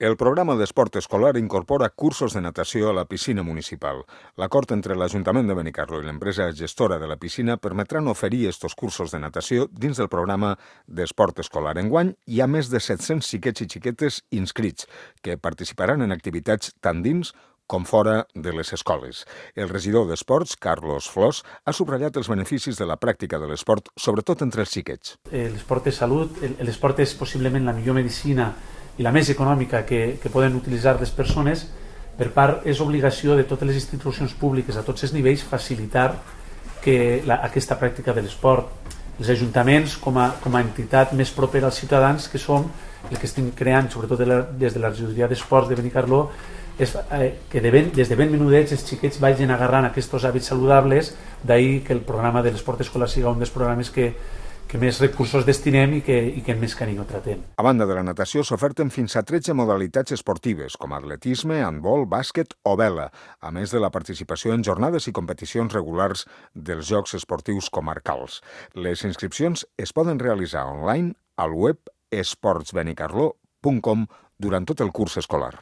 El programa d'esport escolar incorpora cursos de natació a la piscina municipal. L'acord entre l'Ajuntament de Benicarló i l'empresa gestora de la piscina permetran oferir estos cursos de natació dins del programa d'esport escolar. Enguany hi ha més de 700 xiquets i xiquetes inscrits que participaran en activitats tant dins com fora de les escoles. El regidor d'Esports, Carlos Flors, ha subratllat els beneficis de la pràctica de l'esport, sobretot entre els xiquets. L'esport és salut, l'esport és possiblement la millor medicina i la més econòmica que poden utilitzar les persones. Per part, és obligació de totes les institucions públiques a tots els nivells facilitar aquesta pràctica de l'esport. Els ajuntaments, com a entitat més propera als ciutadans que som, el que estem creant, sobretot des de la regidoria d'esports de Benicarló, és que des de ben menudets els xiquets vagin agarrant aquests hàbits saludables, d'ahir que el programa de l'esport escolar sigui un dels programes que més recursos destinem i que més carinyo tratem. A banda de la natació, s'oferten fins a 13 modalitats esportives, com atletisme, handbol, bàsquet o vela, a més de la participació en jornades i competicions regulars dels Jocs Esportius Comarcals. Les inscripcions es poden realitzar online al web esportsbenicarló.com durant tot el curs escolar.